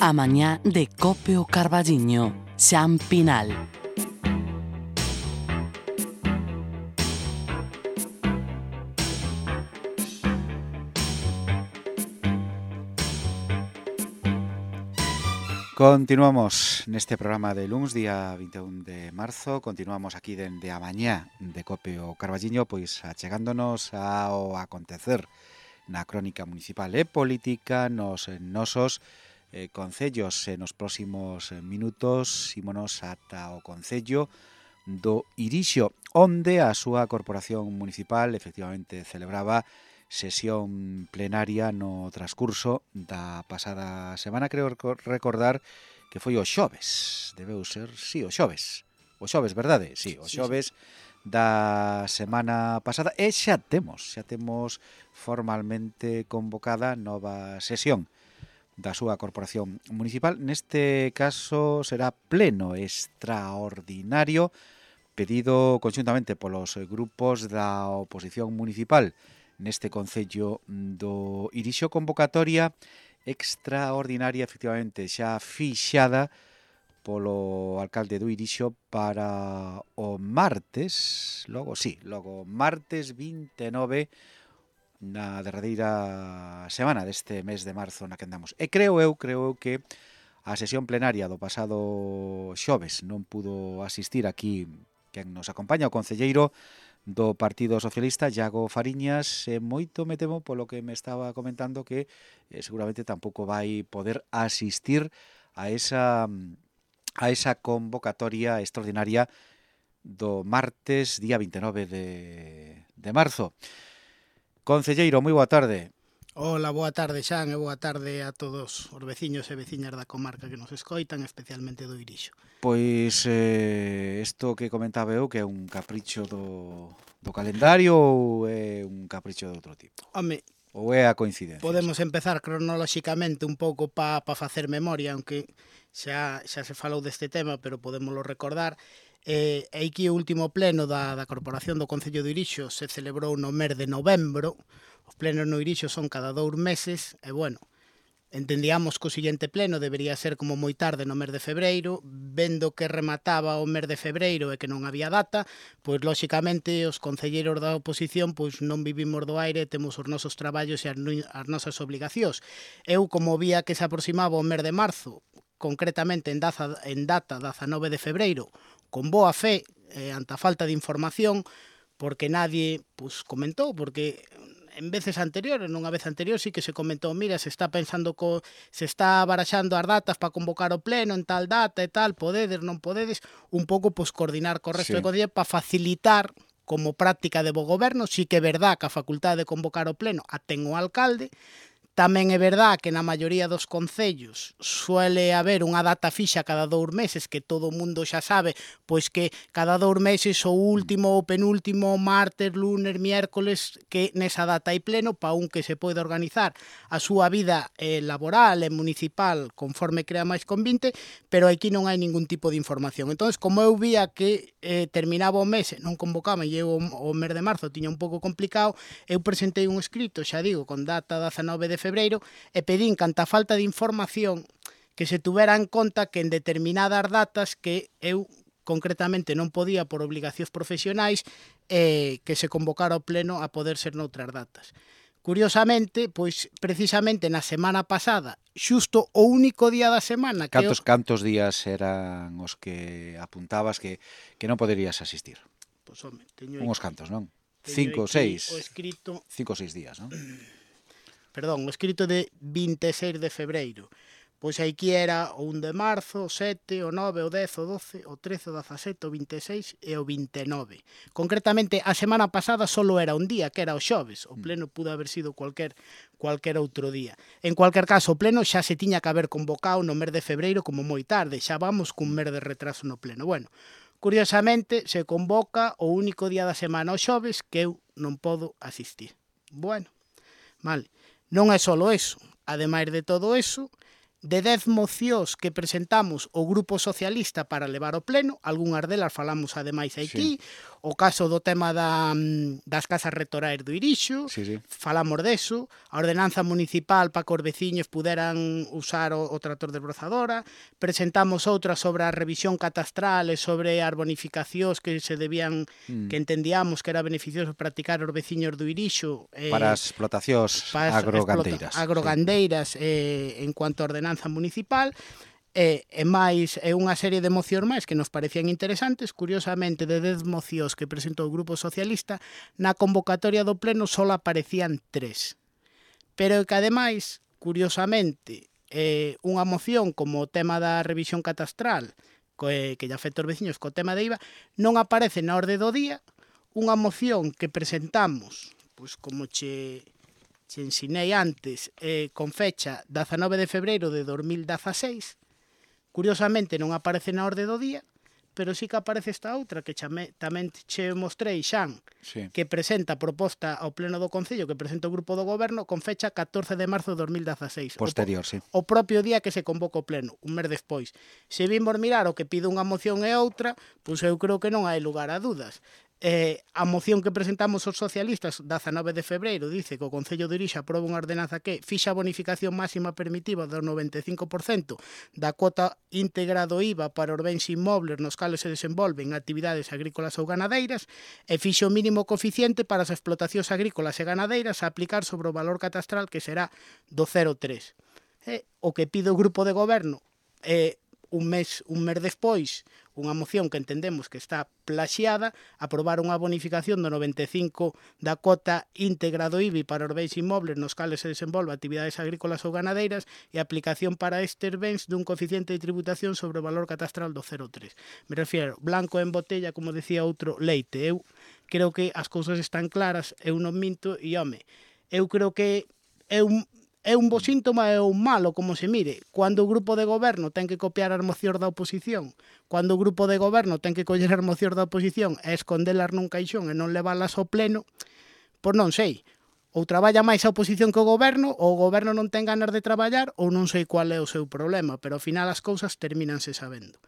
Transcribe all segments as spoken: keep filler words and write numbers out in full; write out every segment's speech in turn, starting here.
A mañá de Cope o Carballiño, Xan Pinal. Continuamos neste programa de luns, día vinte e un de marzo. Continuamos aquí dende a mañá de Cope o Carballiño, pois achegándonos ao acontecer na crónica municipal e política nos nosos eh, concellos. E nos próximos minutos ímonos ata o concello do Irixo, onde a súa corporación municipal efectivamente celebraba sesión plenaria no transcurso da pasada semana. Creo recordar que foi o xoves, debeu ser, sí, o xoves, o xoves, verdade? Sí, o xoves sí, sí. Da semana pasada, e xa temos, xa temos formalmente convocada nova sesión da súa corporación municipal. Neste caso será pleno extraordinario pedido conxuntamente polos grupos da oposición municipal neste concello do Irixo. Convocatoria extraordinaria efectivamente xa fixada polo alcalde do Irixo para o martes, logo sí, logo martes vinte e nove, na derradeira semana deste mes de marzo na que andamos. E creo eu, creo eu que a sesión plenaria do pasado xoves non pudo asistir aquí quen nos acompaña, o concelleiro do Partido Socialista, Iago Fariñas, e moito me temo polo que me estaba comentando que eh, seguramente tampouco vai poder asistir a esa a esa convocatoria extraordinaria do martes, día vinte e nove de, de marzo. Concelleiro, moi boa tarde. Hola, boa tarde, Xan, e boa tarde a todos os veciños e veciñas da comarca que nos escoitan, especialmente do Irixo. Pois eh, isto que comentaba eu, que é un capricho do, do calendario ou é un capricho de outro tipo? Home, ou é a coincidencia? Podemos empezar cronolóxicamente un pouco para pa facer memoria, aunque xa, xa se falou deste tema, pero podémoslo recordar. Eh, e aquí o último pleno da, da Corporación do Concello do Irixo se celebrou no mes de novembro. Os plenos no Irixo son cada dous meses, e bueno, entendíamos que o seguinte pleno debería ser como moi tarde no mes de febreiro. Vendo que remataba o mes de febreiro e que non había data, pois lóxicamente os concelleiros da oposición pois non vivimos do aire, temos os nosos traballos e as, as nosas obligacións. Eu, como vía que se aproximaba o mes de marzo, concretamente en data, en data dezanove de febreiro, con boa fe, eh, ante a falta de información, porque nadie pois, comentou, porque en veces anteriores, nunha vez anterior, sí que se comentou, mira, se está pensando, co, se está baraxando as datas para convocar o pleno en tal data e tal, podedes, non podedes, un pouco pois, coordinar co resto sí. de concellos para facilitar como práctica de bo goberno. Sí que é verdad que a facultade de convocar o pleno a ten o alcalde. Tamén é verdad que na maioría dos concellos suele haber unha data fixa cada dous meses, que todo o mundo xa sabe, pois que cada dous meses o último ou penúltimo martes, lunes, miércoles, que nesa data hai pleno para un que se pode organizar a súa vida eh, laboral e municipal conforme crea máis convinte, pero aquí non hai ningún tipo de información. Entón, como eu vía que eh, terminaba o mes, non convocaban, e eu o mes de marzo tiña un pouco complicado, eu presentei un escrito, xa digo, con data dezanove de febreiro, e pedín canta falta de información que se tuvera en conta que en determinadas datas que eu concretamente non podía por obligacións profesionais eh, que se convocara o pleno a poder ser noutras datas. Curiosamente, pois precisamente na semana pasada, xusto o único día da semana que Cantos, eu... cantos días eran os que apuntabas que, que non poderías asistir? Pois, home, teño Unhos cantos, non? Teño Cinco, seis. o escrito... Cinco ou seis días, non? Perdón, o escrito de vinte e seis de febreiro. Pois aquí era o un de marzo, o sete, o nove, o dez, o doce, o trece, o dezasete, o vinte e seis e o vinte e nove. Concretamente, a semana pasada solo era un día, que era o xoves. O pleno pudo haber sido cualquier, cualquier outro día. En cualquier caso, o pleno xa se tiña que haber convocado no mes de febreiro como moi tarde. Xa vamos cun mes de retraso no pleno. Bueno, curiosamente, se convoca o único día da semana o xoves que eu non podo asistir. Bueno, vale. Non é só eso. Ademais de todo eso, de dez mocións que presentamos o Grupo Socialista para levar ao pleno, algunhas delas falamos ademais aquí, sí. O caso do tema da, das casas rectorais do Irixo, sí, sí. Falamos deso, a ordenanza municipal para que os veciños puderan usar o, o tractor desbrozadora, presentamos outra sobre a revisión catastral e sobre as bonificacións que se debían, mm. que entendíamos que era beneficioso practicar os veciños do Irixo. Eh, para as explotacións agrogandeiras. Agrogandeiras sí. eh, en cuanto a ordenanza municipal, e, e máis é unha serie de mocións máis que nos parecían interesantes. Curiosamente, de dez mocións que presentou o Grupo Socialista, na convocatoria do pleno só aparecían tres. Pero que ademais, curiosamente, eh, unha moción como o tema da revisión catastral, que, que lle afecta aos veciños co tema de I V A, non aparece na orde do día. Unha moción que presentamos, pois como che... che ensinei antes, eh, con fecha dezanove de febreiro de dos mil dezaseis, curiosamente non aparece na orde do día, pero sí que aparece esta outra que chame, tamén che mostrei, Xan, sí. que presenta proposta ao Pleno do Concello, que presenta o Grupo do Goberno, con fecha catorce de marzo de dos mil dezaseis. Posterior, o, sí. O propio día que se convoca o Pleno, un mes despois. Se vimos mirar o que pide unha moción e outra, pois eu creo que non hai lugar a dudas. Eh, a moción que presentamos os socialistas dezanove de febreiro dice que o Concello de Irixo aproba unha ordenanza que fixa a bonificación máxima permitiva do noventa e cinco por cento da cuota íntegra do I V A para os bens inmobles nos cales se desenvolven actividades agrícolas ou ganadeiras e fixa o mínimo coeficiente para as explotacións agrícolas e ganadeiras a aplicar sobre o valor catastral que será do cero coma tres. Eh, o que pide o Grupo de Goberno é eh, un mes, un mes despois, unha moción que entendemos que está plaxiada, aprobar unha bonificación do noventa e cinco da cota íntegra do I V A para os bens inmobles nos cales se desenvolve actividades agrícolas ou ganadeiras e aplicación para estes bens dun coeficiente de tributación sobre o valor catastral do cero coma tres. Me refiero, blanco en botella, como decía outro, leite. Eu creo que as cousas están claras, eu non minto, e, home, eu creo que é un... É un bo síntoma e un malo, como se mire. Cando o Grupo de Goberno ten que copiar as mocións da oposición, cando o Grupo de Goberno ten que coller as mocións da oposición e escondelas nun caixón e non leválas ao pleno, pois non sei. Ou traballa máis a oposición que o Goberno, ou o Goberno non ten ganas de traballar, ou non sei cual é o seu problema, pero ao final as cousas termínanse sabendo.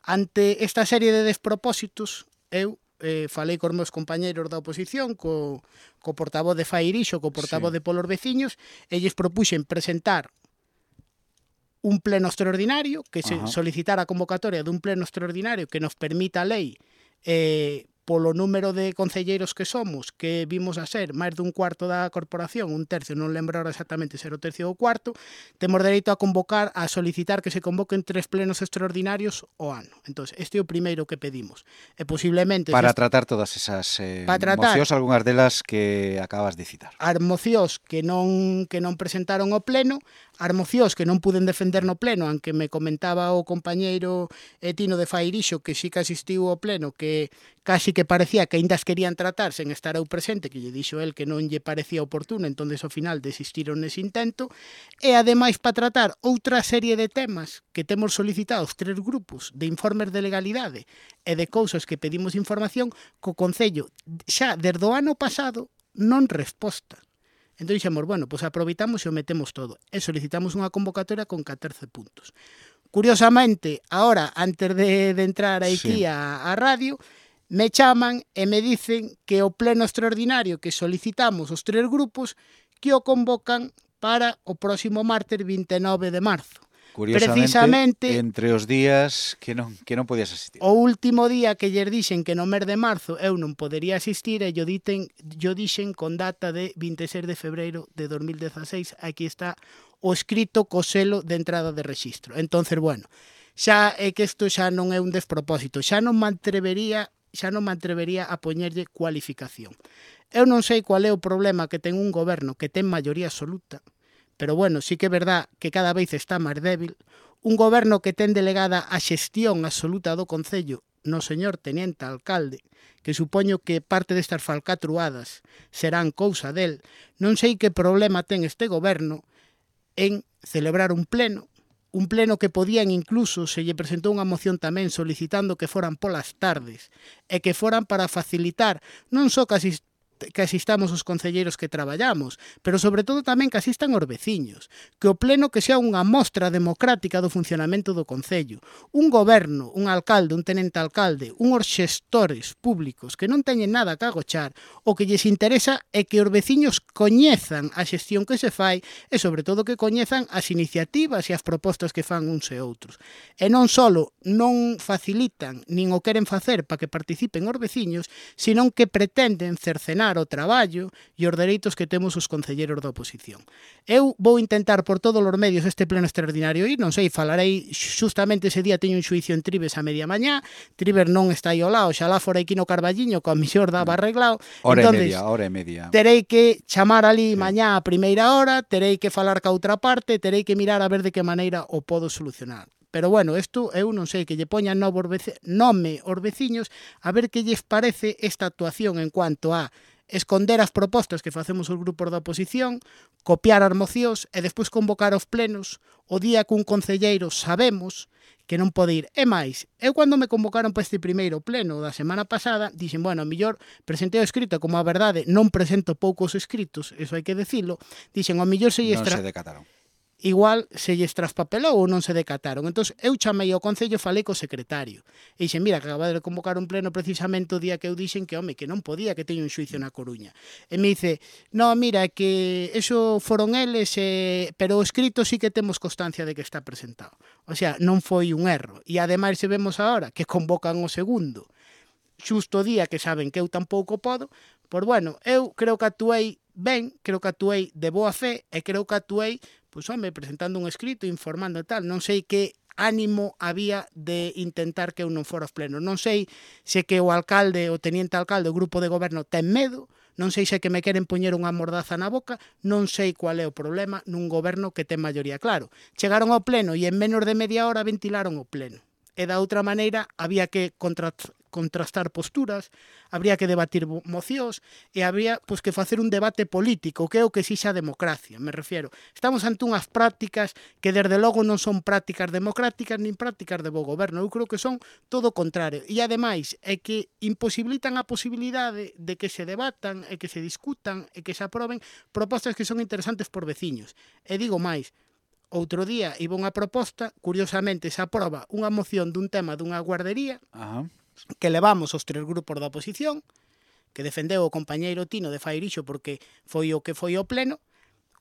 Ante esta serie de despropósitos, eu Eh, falei cos meus compañeiros da oposición, co, co portavoz de Fai Irixo, co portavoz sí. de Polos Veciños, e lles propuxen presentar un pleno extraordinario, que se solicitara a convocatoria dun pleno extraordinario que nos permita a lei eh, polo número de concelleiros que somos, que vimos a ser máis dun cuarto da corporación, un tercio, non lembro ahora exactamente ser o tercio ou cuarto, temos dereito a convocar, a solicitar que se convoquen tres plenos extraordinarios ao ano. Entón, este é o primeiro que pedimos. E posiblemente... Para tratar todas esas eh, mocións, algunhas delas que acabas de citar. As mocións que non, que non presentaron ao pleno, as mocións que non puden defender no pleno, aunque me comentaba o compañeiro Tino de Fai Irixo que sí que asistiu ao pleno, que casi que parecía que ainda as querían tratar sen estar eu presente, que lle dixo el que non lle parecía oportuno, entón ao final desistiron nese intento, e ademais para tratar outra serie de temas que temos solicitado os tres grupos de informes de legalidade e de cousas que pedimos información, co Concello xa desde o ano pasado non resposta. Entón dixemos, bueno, pois aproveitamos e o metemos todo. E solicitamos unha convocatoria con catorce puntos. Curiosamente, ahora, antes de, de entrar aquí sí. a, a radio, me chaman e me dicen que o pleno extraordinario que solicitamos os tres grupos que o convocan para o próximo martes vinte e nove de marzo. Curiosamente, precisamente entre os días que non, que non podías asistir. O último día que lles dixen que no mes de marzo eu non podería asistir e yo, diten, yo dixen con data de vinte e seis de febreiro de dos mil dezaseis, aquí está o escrito co selo de entrada de rexistro. Entonces, bueno, xa é que isto xa non é un despropósito, xa non me atrevería, xa non me atrevería a poñerlle cualificación. Eu non sei cual é o problema que ten un goberno que ten maioría absoluta, pero bueno, sí que é verdad que cada vez está máis débil, un goberno que ten delegada a xestión absoluta do Concello no señor teniente alcalde, que supoño que parte destas falcatruadas serán cousa del, non sei que problema ten este goberno en celebrar un pleno, un pleno que podían incluso, se lle presentou unha moción tamén solicitando que foran polas tardes, e que foran para facilitar non só que asist que asistamos os concelleiros que traballamos, pero sobre todo tamén que asistan os veciños, que o pleno que sea unha mostra democrática do funcionamento do concello, un goberno, un alcalde, un tenente alcalde, unhos xestores públicos que non teñen nada que agochar, o que lles interesa é que os veciños coñezan a xestión que se fai e sobre todo que coñezan as iniciativas e as propostas que fan uns e outros. E non só non facilitan nin o queren facer para que participen os veciños, senón que pretenden cercenar o traballo e os dereitos que temos os concelleiros da oposición. Eu vou intentar por todos os medios este pleno extraordinario ir, non sei, falarei justamente ese día teño un xuicio en Trives a media mañá, Trives non está aí ao lado, xalá fora aquí no Carballiño, coa misión daba arreglado. Hora entonces, e media, hora e media. Terei que chamar ali sí. mañá a primeira hora, terei que falar ca outra parte, terei que mirar a ver de que maneira o podo solucionar. Pero bueno, isto eu non sei, que lle poñan novos vece... nome aos veciños a ver que lles parece esta actuación en cuanto a esconder as propostas que facemos os grupos da oposición, copiar as mocións e despois convocar os plenos o día que un concelleiro sabemos que non pode ir. E máis, eu cando me convocaron para este primeiro pleno da semana pasada, dixen, bueno, a millor presentei o escrito, como a verdade non presento poucos escritos, eso hai que decilo, dixen, a millor se lle Non extra... se decataron. igual se lles traspapelou ou non se decataron. Entón, eu chamei ao Concello e falei co secretario. E dixen, mira, que acaba de convocar un pleno precisamente o día que eu dixen que, home, que non podía, que teño un xuicio na Coruña. E me dice, no, mira, que eso foron eles, eh, pero o escrito sí que temos constancia de que está presentado. O sea, non foi un erro. E ademais se vemos agora que convocan o segundo xusto o día que saben que eu tampouco podo, pois bueno, eu creo que actuei ben, creo que actuei de boa fe e creo que actuei pois, home, presentando un escrito, informando e tal. Non sei que ánimo había de intentar que eu non fora aos plenos. Non sei se que o alcalde, o teniente alcalde, o grupo de goberno ten medo, non sei se que me queren poñer unha mordaza na boca, non sei cual é o problema nun goberno que ten maioría. Claro, chegaron ao pleno e en menos de media hora ventilaron o pleno. E da outra maneira había que contra, contrastar posturas, habría que debatir mocións e habría pois, que facer un debate político, que é o que exixe a democracia, me refiero. Estamos ante unhas prácticas que desde logo non son prácticas democráticas nin prácticas de bo goberno, eu creo que son todo o contrario. E ademais é que imposibilitan a posibilidade de que se debatan e que se discutan e que se aproben propostas que son interesantes por veciños. E digo máis, outro día iba unha proposta, curiosamente se aproba unha moción dun tema dunha guardería, Ajá. que levamos os tres grupos da oposición, que defendeu o compañeiro Tino de Fairixo porque foi o que foi o pleno,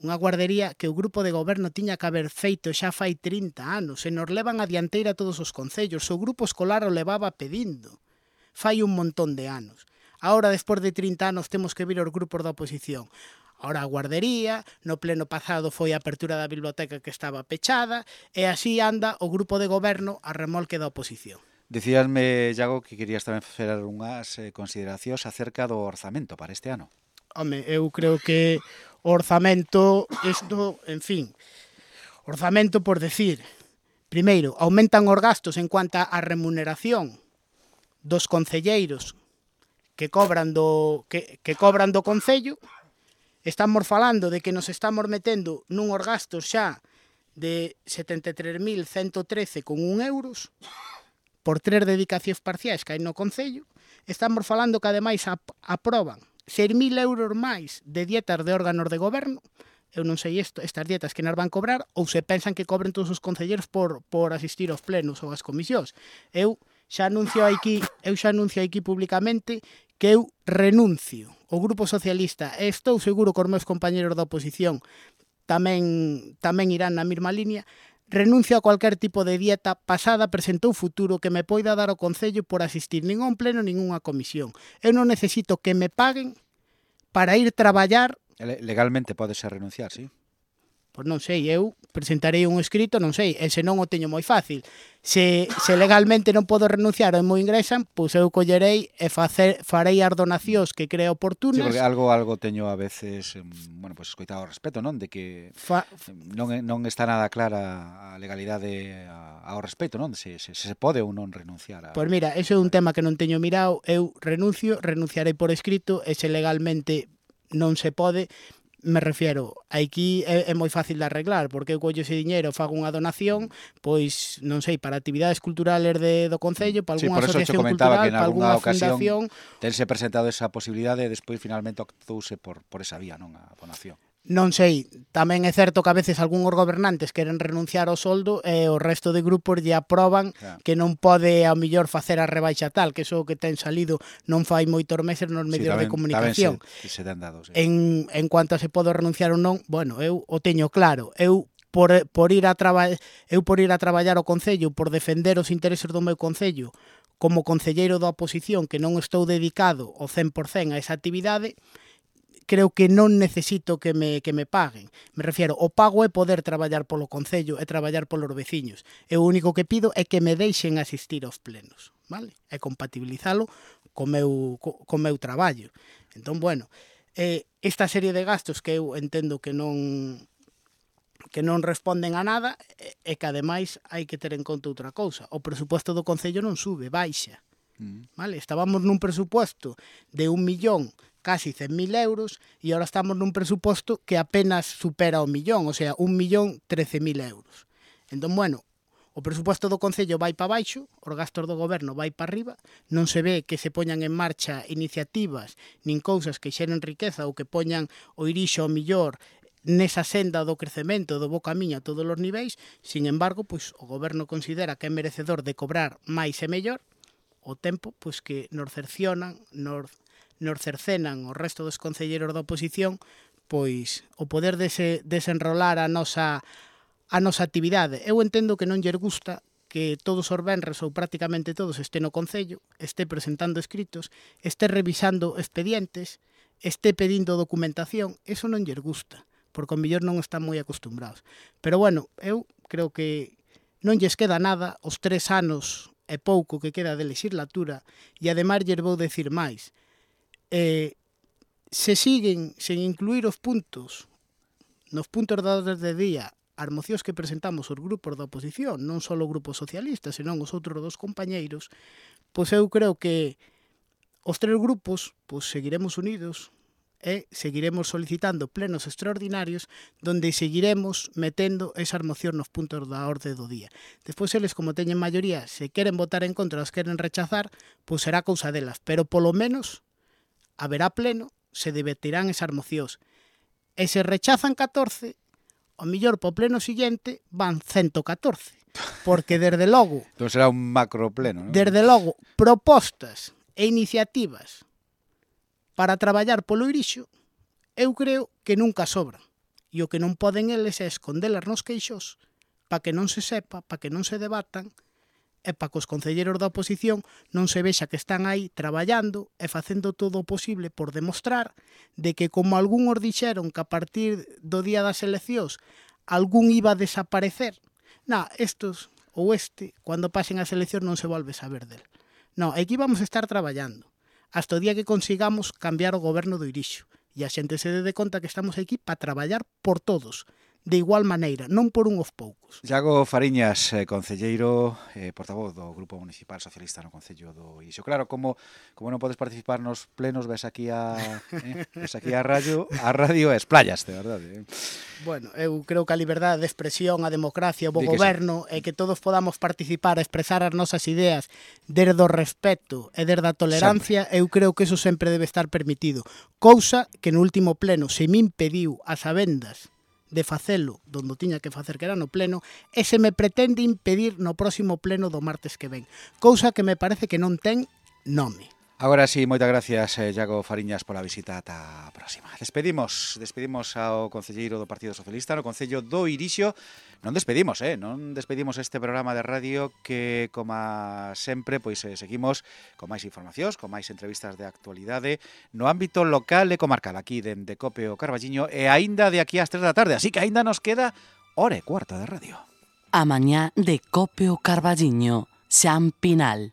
unha guardería que o grupo de goberno tiña que haber feito xa fai trinta anos, e nos levan a dianteira todos os concellos, o grupo escolar o levaba pedindo, fai un montón de anos. Ahora, despois de trinta anos, temos que vir os grupos da oposición. Ahora a guardería, no pleno pasado foi a apertura da biblioteca que estaba pechada, e así anda o grupo de goberno a remolque da oposición. Dicíasme, Iago, que querías tamén facer unhas eh, consideracións acerca do orzamento para este ano. Home, eu creo que o orzamento, isto, en fin, orzamento por decir, primeiro, aumentan os gastos en cuanto á remuneración dos concelleiros que cobran do, que, que cobran do concello. Estamos falando de que nos estamos metendo nuns gastos xa de setenta e tres mil ciento trece con un euros por tres dedicacións parciais que hai no Concello. Estamos falando que ademais ap aproban seis mil euros máis de dietas de órganos de goberno. Eu non sei isto, estas dietas que nos van cobrar ou se pensan que cobren todos os concelleiros por, por asistir aos plenos ou ás comisións. Eu xa anuncio aquí, eu xa anuncio aquí públicamente que eu renuncio o Grupo Socialista, e estou seguro que os meus compañeros da oposición tamén, tamén irán na mesma línea, renuncio a cualquier tipo de dieta pasada, presente ou futuro que me poida dar o Concello por asistir nin a un pleno nin a unha comisión. Eu non necesito que me paguen para ir traballar. Legalmente podese renunciar, sí? Pois non sei, eu presentarei un escrito, non sei, e se non o teño moi fácil. Se, se legalmente non podo renunciar ou me ingresan, pois eu collerei e facer, farei as donacións que creo oportunas. Sí, porque algo algo teño a veces, bueno, pois escoitado ao respecto, non? De que Fa... non, non está nada clara a legalidade ao respecto, non? Se, se, se pode ou non renunciar a... Pois mira, eso é un tema que non teño mirado, eu renuncio, renunciarei por escrito, e se legalmente non se pode, Me refiero, aquí é, é moi fácil de arreglar, porque eu collo ese diñeiro, fago unha donación, pois, non sei, para actividades culturales de, do Concello, para Sí, algunha por eso asociación che comentaba cultural, que en para algunha algunha ocasión fundación. tense presentado esa posibilidade e despois finalmente optouse por, por esa vía, non a donación. Non sei, tamén é certo que a veces algúns gobernantes queren renunciar ao soldo e o resto de grupos lle aproban Claro. que non pode ao millor facer a rebaixa tal, que iso que ten salido non fai moitos meses nos medios sí, tamén, de comunicación. Tamén se, se ten dado, sí. En, en cuanto a se podo renunciar ou non, bueno, eu o teño claro. Eu por, por ir a traba, eu por ir a traballar ao Concello, por defender os intereses do meu Concello, como concelleiro da oposición que non estou dedicado ao cen por cen a esa actividade, creo que non necesito que me, que me paguen. Me refiero, o pago é poder traballar polo Concello e traballar polos veciños. E o único que pido é que me deixen asistir aos plenos, vale? E compatibilizalo co meu, co, co meu traballo. Entón, bueno, eh, esta serie de gastos que eu entendo que non que non responden a nada e que ademais hai que ter en conta outra cousa. O presupuesto do Concello non sube, baixa. Mm. Vale? Estábamos nun presupuesto de un millón casi cen mil euros e agora estamos nun presuposto que apenas supera o millón, o sea, un millón trece mil euros. Entón, bueno, o presuposto do Concello vai para baixo, os gastos do goberno vai para arriba, non se ve que se poñan en marcha iniciativas nin cousas que xeren riqueza ou que poñan o Irixo ao millor nesa senda do crecemento do bo camiño a todos os niveis. Sin embargo, pois, o goberno considera que é merecedor de cobrar máis e mellor, o tempo pois que nos cercionan, nos nos cercenan o resto dos concelleiros da oposición, pois o poder dese, desenrolar a nosa a nosa actividade. Eu entendo que non lle gusta que todos os venres ou prácticamente todos este no Concello, este presentando escritos, este revisando expedientes, este pedindo documentación. Eso non lle gusta, porque ao mellor non están moi acostumbrados. Pero bueno, eu creo que non lles queda nada os tres anos e pouco que queda de legislatura, e ademais lles vou decir máis. Eh, se siguen sen incluir os puntos nos puntos da orde de día as mocións que presentamos os grupos da oposición, non só o grupo socialista, senón os outros dos compañeiros, pois eu creo que os tres grupos pois seguiremos unidos e seguiremos solicitando plenos extraordinarios donde seguiremos metendo esas mocións nos puntos da orde do día. Despois eles, como teñen maioría, se queren votar en contra, as queren rechazar, pois será cousa delas, pero polo menos haberá pleno, se debatirán esas mocións. E se rechazan catorce, o mellor po pleno siguiente van ciento catorce. Porque, desde logo... Entón será un macro pleno, non? Desde logo, propostas e iniciativas para traballar polo Irixo, eu creo que nunca sobran. E o que non poden eles é escondelas nos queixos para que non se sepa, para que non se debatan, e para que os concelleiros da oposición non se vexa que están aí traballando e facendo todo o posible por demostrar de que, como algúns dixeron que a partir do día das eleccións algún iba a desaparecer, na, estos ou este, cando pasen as eleccións non se volve saber del. Non, aquí vamos a estar traballando hasta o día que consigamos cambiar o goberno do Irixo e a xente se dé conta que estamos aquí para traballar por todos, de igual maneira, non por unhos poucos. Iago Fariñas, eh, concelleiro, eh, portavoz do Grupo Municipal Socialista no Concello do Irixo. Claro, como como non podes participar nos plenos, ves aquí a eh, ves aquí a radio, a radio e esplayas, de verdade. Eh. Bueno, eu creo que a liberdade de expresión, a democracia, o bo goberno sí. E que todos podamos participar a expresar as nosas ideas desde o respeto e desde a tolerancia, sempre. Eu creo que eso sempre debe estar permitido. Cousa que no último pleno se me impediu as sabendas de facelo donde tiña que facer, que era no pleno, e se me pretende impedir no próximo pleno do martes que ven. Cousa que me parece que non ten nome. Agora sí, moitas gracias, eh, Iago Fariñas, pola visita. Ata a próxima. Despedimos, despedimos ao concelleiro do Partido Socialista no Concello do Irixo. Non despedimos, eh, non despedimos este programa de radio que, como sempre, pois eh, seguimos con máis informacións, con máis entrevistas de actualidade no ámbito local e comarcal, aquí dende Cope o Carballiño, e aínda de aquí ás tres da tarde, así que aínda nos queda hora e cuarta de radio. A mañá de Cope o Carballiño, Xan Pinal.